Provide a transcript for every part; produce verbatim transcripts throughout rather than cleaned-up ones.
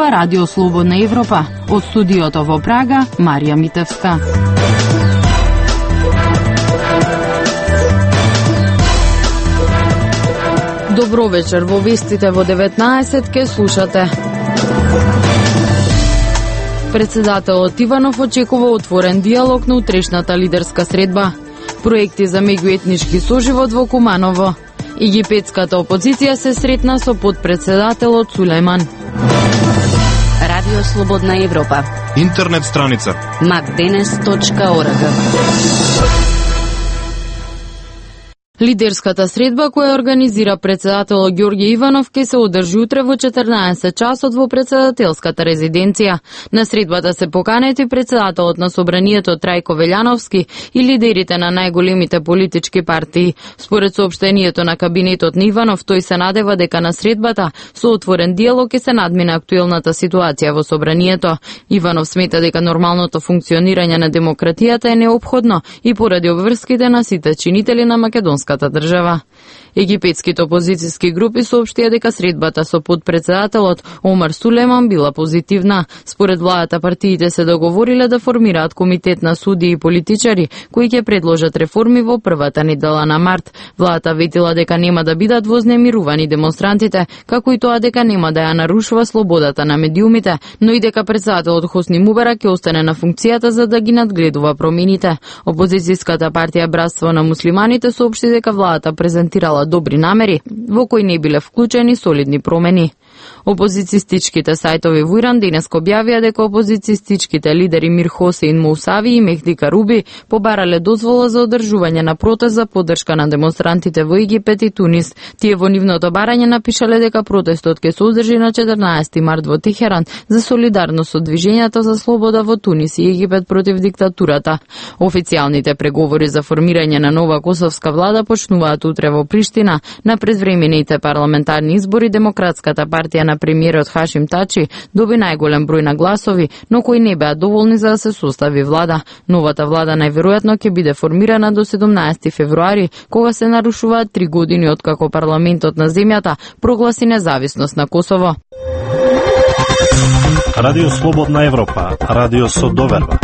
Ова Радио Слободна Европа. Од студиото во Прага, Марија Митевска. Добро вечер, во вестите во деветнаесет ке слушате. Председателот Иванов очекува отворен диалог на утрешната лидерска средба. Проекти за меѓуетнички соживот во Куманово. Египетската опозиција се сретна со подпредседателот Сулејман. Радио Слободна Европа. Интернет страница макденес точка орг. Лидерската средба која организира председателот Ѓорѓе Иванов ке се одржи утре во четрнаесет часот во председателската резиденција. На средбата се поканети председателот на Собранието Трајко Велјановски и лидерите на најголемите политички партии. Според соопштението на кабинетот на Иванов, тој се надева дека на средбата со отворен диалог ќе се надмине актуелната ситуација во Собранието. Иванов смета дека нормалното функционирање на демократијата е неопходно и поради обврските на сите чинители на македонска држава. Египетските опозицијски групи соопштија дека средбата со подпредседателот Омар Сулејман била позитивна. Според владата, партиите се договориле да формираат комитет на судии и политичари кои ќе предложат реформи во првата недела на март. Владата ветила дека нема да бидат вознемирувани демонстрантите, како и тоа дека нема да ја нарушува слободата на медиумите, но и дека председателот Хосни Мубарак ќе остане на функцијата за да ги надгледува промените. Опозицијската партија Братство на муслиманите соопшти дека владата презентирала добри намери, во кои не биле вклучени солидни промени. Опозицијстичките сајтови во Иран денеска објавија дека опозицијстичките лидери Мир Хосеин Моусави и Мехди Каруби побарале дозвола за одржување на протест за поддршка на демонстрантите во Египет и Тунис. Тие во нивното барање напишале дека протестот ќе се одржи на четрнаесети март во Техеран за солидарност со движењето за слобода во Тунис и Египет против диктатурата. Официјалните преговори за формирање на нова косовска влада почнуваат утре во Приштина. На предвремените парламентарни избори Демократската партија на премиерот Хашим Тачи доби најголем број на гласови, но кои не беа доволни за да се состави влада. Новата влада најверојатно ќе биде формирана до седумнаесети февруари, кога се нарушуваат три години откако парламентот на земјата прогласи независност на Косово. Радио Слободна Европа, радио со доверба.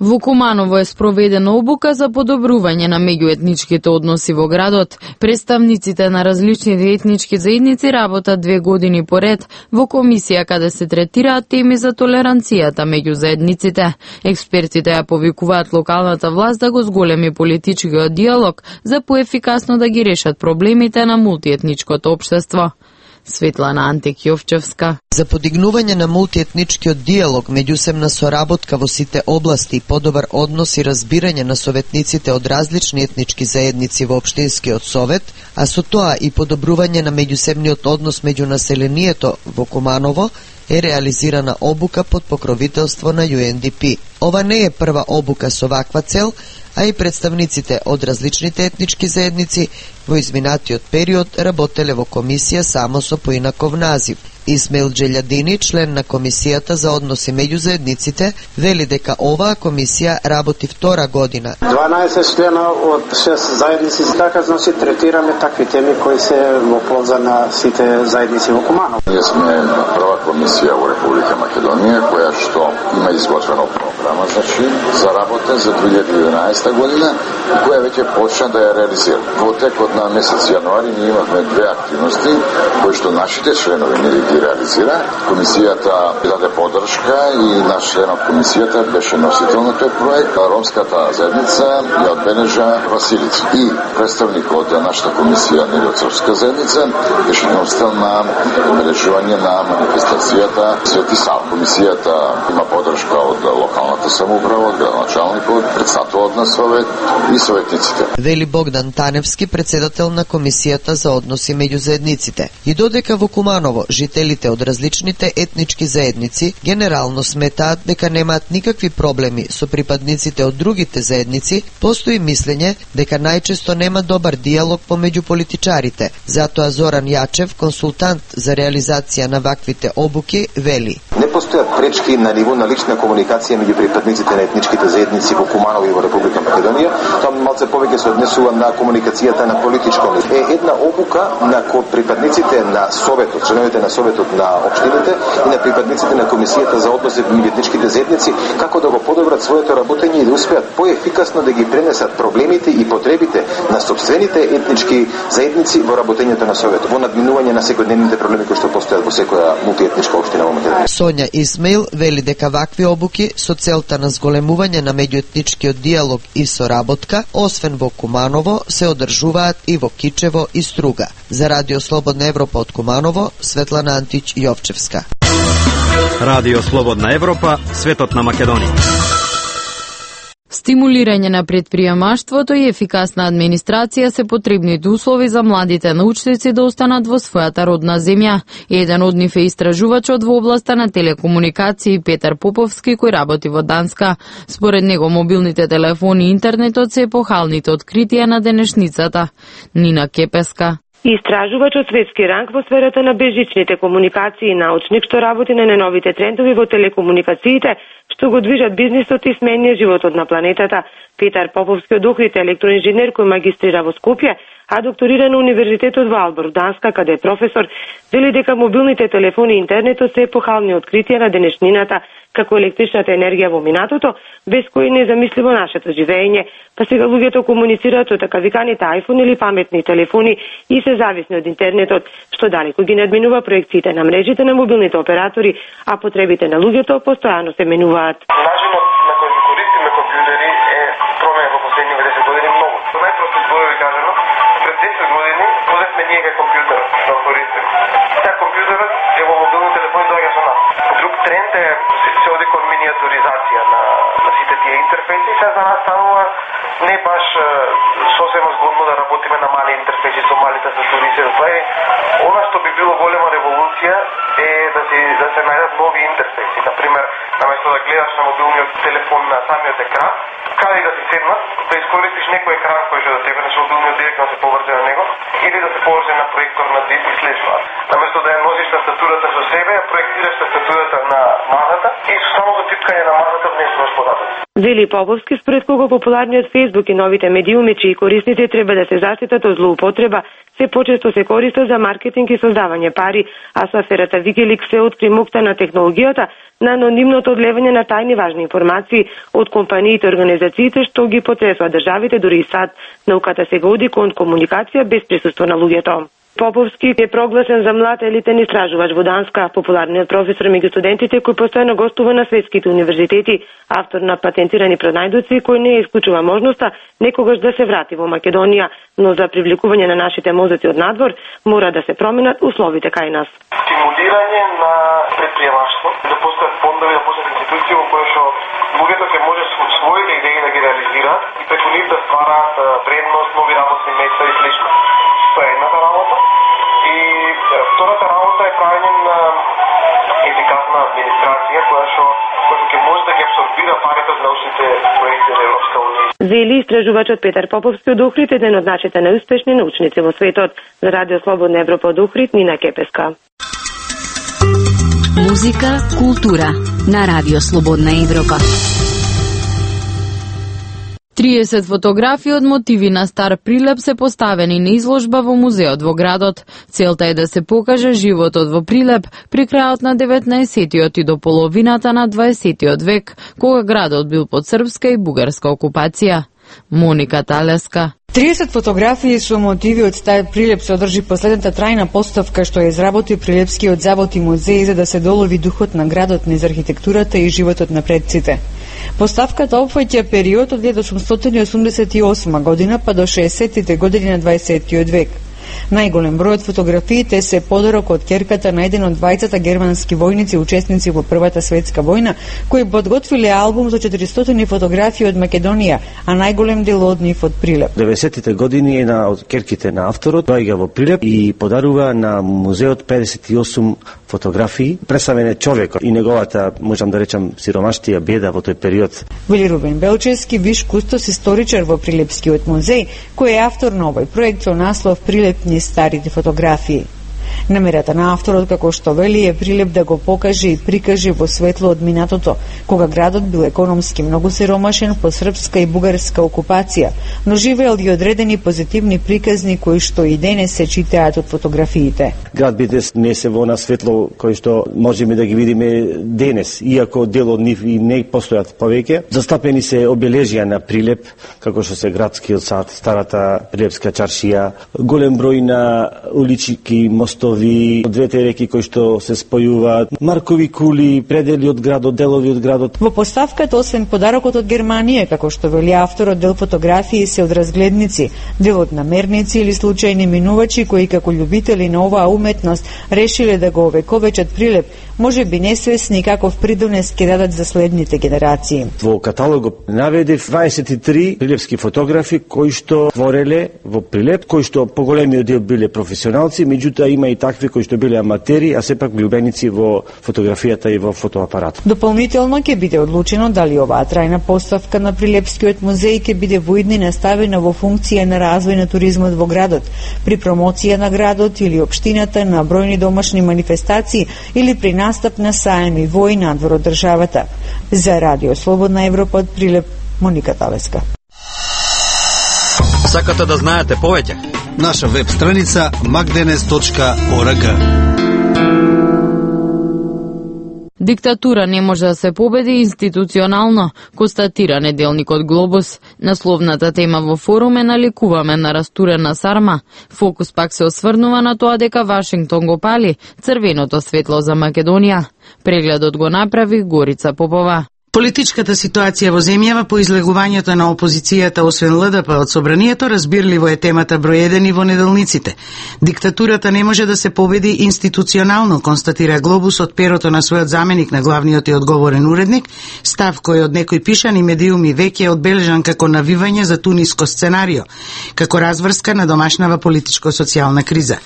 Во Куманово е спроведена обука за подобрување на меѓуетничките односи во градот. Представниците на различните етнички заедници работат две години поред во комисија каде се третираат теми за толеранцијата меѓу заедниците. Експертите ја повикуваат локалната власт да го зголеми политичкиот диалог за поефикасно да ги решат проблемите на мултиетничкото општество. Светлана Антекјовчевска. За подигнување на мултиетничкиот диалог, меѓусебна соработка во сите области и подобар однос и разбирање на советниците од различни етнички заедници во општинскиот совет, а со тоа и подобрување на меѓусебниот однос меѓу населението во Куманово, е реализирана обука под покровителство на Ю Ен Ди Пи. Ова не е прва обука со ваква цел, а и представниците од различните етнички заедници во изминатиот период работеле во комисија само со поинаков назив. Исмаил Джелјадини, член на комисијата за односи меѓу заедниците, вели дека оваа комисија работи втора година. дванаесет члена од шест заедници, така значи третираме такви теми кои се во полза на сите заедници во Куманово. Ние сме прва комисија во Република Македонија која што има изготвена програма значи за работа за две илјади и единаесета година и која веќе почна да ја реализира. Во текот на месец јануари ние имавме две активности кои што нашите членови не ги реализира. Комисијата даде поддршка и наш член од комисијата беше носител на тој проект. Ромската заедница ја одбележа Василица. И представникот од нашата комисија од српска заедница беше носител на одбележување на манифестацијата Свети Сава. Комисијата има поддршка од локалната самоуправа, од градоначалникот, председателот на совет и советниците. Вели Богдан Таневски, председател на комисијата за односи меѓу заедниците. И додека во Куманово жителите од различните етнички заедници генерално сметаат дека немаат никакви проблеми со припадниците од другите заедници, постои мислење дека најчесто нема добар диалог помеѓу политичарите. Затоа Зоран Јачев, консултант за реализација на ваквите обуки, вели: Не постојат пречки на ниво на лична комуникација меѓу припадниците на етничките заедници во Куманово и во Република Македонија. Тоа малце повеќе се однесува на комуникацијата на политичко ниво. Е една обука на припадниците на Советот, членовите на Советот Советот на општините и на припадниците на Комисијата за односи меѓу етничките заедници како да го подобрат своето работење и да успеат поефикасно да ги пренесат проблемите и потребите на сопствените етнички заедници во работењето на Советот, во надминување на секојдневните проблеми кои што постојат во секоја мултиетничка општина во Македонија. Сонја Исмаил вели дека вакви обуки со целта на зголемување на меѓуетничкиот диалог и соработка, освен во Куманово, се одржуваат и во Кичево и Струга. За Радио Слободна Европа од Куманово, Светлана Антич Јовчевска. Радио Слободна Европа, светот на Македонија. Стимулирање на предприемаштвото и ефикасна администрација се потребните услови за младите научници да останат во својата родна земја. Еден од нив е истражувачот во областа на телекомуникации Петар Поповски, кој работи во Данска. Според него, мобилните телефони и интернетот се епохалните откритија на денешницата. Нина Кепеска. Истражувач од светски ранг во сферата на безжичните комуникации и научник што работи на најновите трендови во телекомуникациите, што го движат бизнисот и сменија животот на планетата. Петар Поповски од Охрид е електроинженер кој магистрира во Скопје, а докторира на Универзитетот во Албор, Данска, каде е професор, вели дека мобилните телефони и интернетот се епохални откритија на денешнината, како електричната енергија во минатото, без кои не е замисливо нашето живење. Па сега луѓето комуницираат со така виканите iPhone или паметни телефони и се зависни од интернетот, што далеко ги надминува проекциите на мрежите на мобилните оператори, а потребите на луѓето постојано се менуваат. Начинот на кој ги користиме компјутери е променет во последните десет години многу. Со најпрости зборови кажано, пред десет години возевме ние кај компјутер да го користиме. Сега компјутерот е во мобилни телефони доаѓа со нас. Друг тренд е се оди кон миниатуризација на, на сите тие интерфејси. Сега за нас станува не баш сосема згодно да работиме на мали интерфејси со мали тастатури. Тоа е она што би било голема револуција е да се да се најдат нови интерфејси. Например, наместо да гледаш на мобилниот телефон на самиот екран, каде да се седнат, да искористиш некој екран кој што до тебе, значи мобилниот директно да се поврзе на него, или да се поврзе на проектор на зид и слично. Наместо да ја носиш тастатурата со себе, ја проектираш тастатурата на мазата и со самото типкање на мазата внесуваш податоци. Вели Поповски, според кого популарниот Фејсбук и новите медиуми, чии корисници треба да се заштитат од злоупотреба, се почесто се користат за маркетинг и создавање пари, а со аферата Wikileaks се откри мокта на технологијата на анонимното одлевање на тајни важни информации од компаниите и организациите што ги потресуваат државите, дури и САД. Науката сега оди кон комуникација без присуство на луѓето. Поповски е прогласен за млад елитен истражувач во Данска, популарниот професор меѓу студентите кој постојано гостува на светските универзитети, автор на патентирани пронајдоци кој не исклучува можноста некогаш да се врати во Македонија, но за привлекување на нашите мозоци од надвор мора да се променат условите кај нас. Стимулирање на предприемаштво, да постојат фондови, да постојат институции во кои што луѓето ќе може своите идеи да ги реализираат и преку нив да ствараат вредност, нови работни места и слично. Тоа е едната работа. И втората работа е правење на ефикасна администрација која што која ќе може да ги абсорбира парите од научните проекти на Европска унија. Вели истражувачот Петар Поповски од Охрид, еден од нашите најуспешни научници во светот. За Радио Слободна Европа од Охрид, Нина Кепеска. Музика, култура на Радио Слободна Европа. триесет фотографии од мотиви на стар Прилеп се поставени на изложба во музеот во градот. Целта е да се покаже животот во Прилеп при крајот на деветнаесеттиот и до половината на дваесеттиот век, кога градот бил под српска и бугарска окупација. Моника Талеска. триесет фотографии со мотиви од стар Прилеп се одржи последната трајна поставка што ја изработи Прилепскиот завод и музеј за да се долови духот на градот низ архитектурата и животот на предците. Поставката опфаќа период од илјада осумстотини и осумдесет и осма година па до шеесеттите години на дваесеттиот век. Најголем број од фотографиите се подарок од ќерката на еден од двајцата германски војници учесници во Првата светска војна, кои подготвиле албум за четиристотини фотографии од Македонија, а најголем дел од нив од Прилеп. деветдесеттите години една од ќерките на авторот доаѓа во Прилеп и подарува на музеот педесет и осум фотографии, представен е човекот и неговата, можам да речам, сиромаштија, беда во тој период. Вели Рубен Белчевски, виш кустос историчар во Прилепскиот музеј, кој е автор на овој проект со наслов Прилеп низ старите фотографии. Намерата на авторот, како што вели, е Прилеп да го покаже и прикаже во светло од минатото, кога градот бил економски многу сиромашен по српска и бугарска окупација, но живеел и одредени позитивни приказни кои што и денес се читаат од фотографиите. Град биде несе во на светло кои што можеме да ги видиме денес, иако дел од нив и не постојат повеќе. Застапени се обележија на Прилеп, како што се градскиот сад, старата Прилепска чаршија, голем број на улички, мостови, двете реки кои што се спојуваат, маркови кули, предели од градот, делови од градот. Во поставката, освен подарокот од Германија, како што вели авторот, дел фотографии се од разгледници, дел од намерници или случајни минувачи кои како љубители на оваа уметност решиле да го овековечат Прилеп, може би несвесни каков придонес ќе дадат за следните генерации. Во каталогот наведев дваесет и три прилепски фотографи кои што твореле во Прилеп, кои што поголемиот дел биле професионалци, меѓутоа има и такви кои што биле аматери, а сепак влюбеници во фотографијата и во фотоапаратот. Дополнително ќе биде одлучено дали оваа трајна поставка на Прилепскиот музеј ќе биде во идни наставена во функција на развој на туризмот во градот, при промоција на градот или општината на бројни домашни манифестации или при настап на саеми во и надвор од државата. За Радио Слободна Европа од Прилеп, Моника Талеска. Сакате да знаете повеќе? Наша веб страница макденес точка орг. Диктатура не може да се победи институционално, констатира неделникот Глобус. Насловната тема во форум е наликуваме на растурена сарма. Фокус пак се осврнува на тоа дека Вашингтон го пали црвеното светло за Македонија. Прегледот го направи Горица Попова. Политичката ситуација во земјава по излегувањето на опозицијата освен ЛДП од собранието разбирливо е темата број еден и во неделниците. Диктатурата не може да се победи институционално, констатира Глобус од перото на својот заменик на главниот и одговорен уредник, став кој од некои пишани медиуми веќе е одбележан како навивање за туниско сценарио, како разврска на домашнава политичко-социјална криза.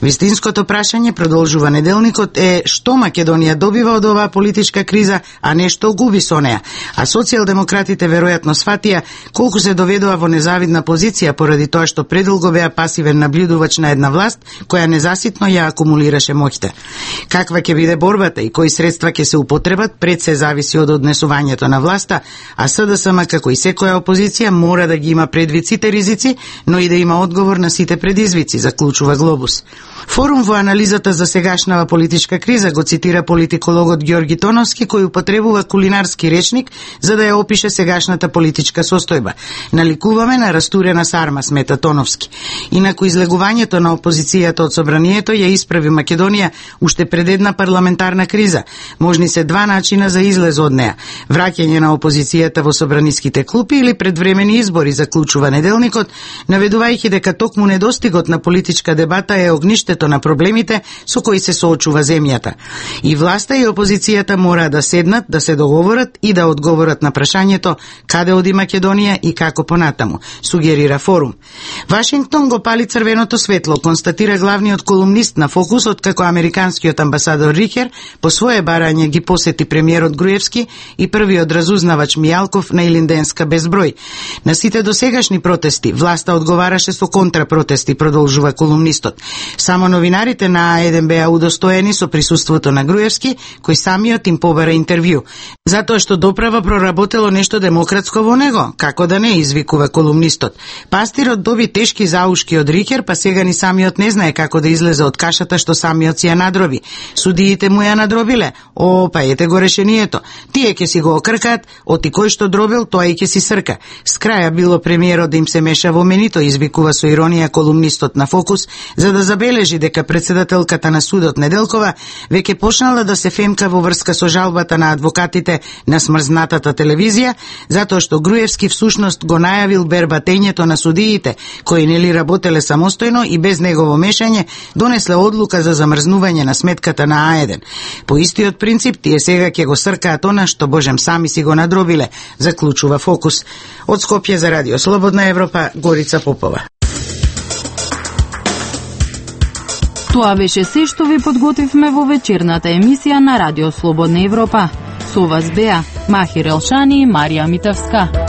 Вистинското прашање, продолжува неделникот, е што Македонија добива од оваа политичка криза, а не што губи со неа, а социјалдемократите веројатно сватија колку се доведува во незавидна позиција поради тоа што предолго беа пасивен наблюдувач на една власт која незаситно ја акумулираше моќта. Каква ќе биде борбата и кои средства ќе се употребат пред се зависи од однесувањето на власта, а СДСМ како и секоја опозиција мора да ги има предвид сите ризици, но и да има одговор на сите предизвици, заклучува Глобус. Форум во анализата за сегашнава политичка криза го цитира политикологот Ѓорги Тоновски, кој употребува кулинарски речник за да ја опише сегашната политичка состојба. Наликуваме на растурена сарма, смета Тоновски. Инаку излегувањето на опозицијата од собранието ја исправи Македонија уште пред една парламентарна криза. Можни се два начина за излез од неа: враќање на опозицијата во собраниските клупи или предвремени избори, заклучува неделникот, наведувајќи дека токму недостигот на политичка дебата е огништето на проблемите со кои се соочува земјата. И власта и опозицијата мора да седнат, да се договорат и да одговорат на прашањето каде оди Македонија и како понатаму, сугерира Форум. Вашингтон го пали црвеното светло, констатира главниот колумнист на Фокус, откако американскиот амбасадор Рихер по свое барање ги посети премиерот Груевски и првиот разузнавач Мијалков на Илинденска безброј. На сите досегашни протести власта одговараше со контрапротести, продолжува колумнистот. Само новинарите на А еден беа удостоени со присуството на Груевски, кој самиот им побара интервју. Затоа што доправа проработело нешто демократско во него, како да не, извикува колумнистот. Пастирот доби тешки заушки од Рихер, па сега ни самиот не знае како да излезе од кашата што самиот си ја надроби. Судиите му ја надробиле. О, па ете го решението. Тие ќе си го окркаат, оти кој што дробил, тоа и ќе си срка. С краја било премиерот да им се меша во менито, извикува со иронија колумнистот на Фокус, за да забележи дека председателката на судот Неделкова веќе почнала да се фемка во врска со жалбата на адвокатите на смрзнатата телевизија, затоа што Груевски всушност го најавил бербатењето на судиите, кои нели работеле самостојно и без негово мешање донесле одлука за замрзнување на сметката на А еден. По истиот принцип, тие сега ќе го сркаат она што божем сами си го надробиле, заклучува Фокус. Од Скопје за Радио Слободна Европа, Горица Попова. Тоа беше се што ви подготвивме во вечерната емисија на Радио Слободна Европа. Со вас беа Махир Елшани и Марија Митевска.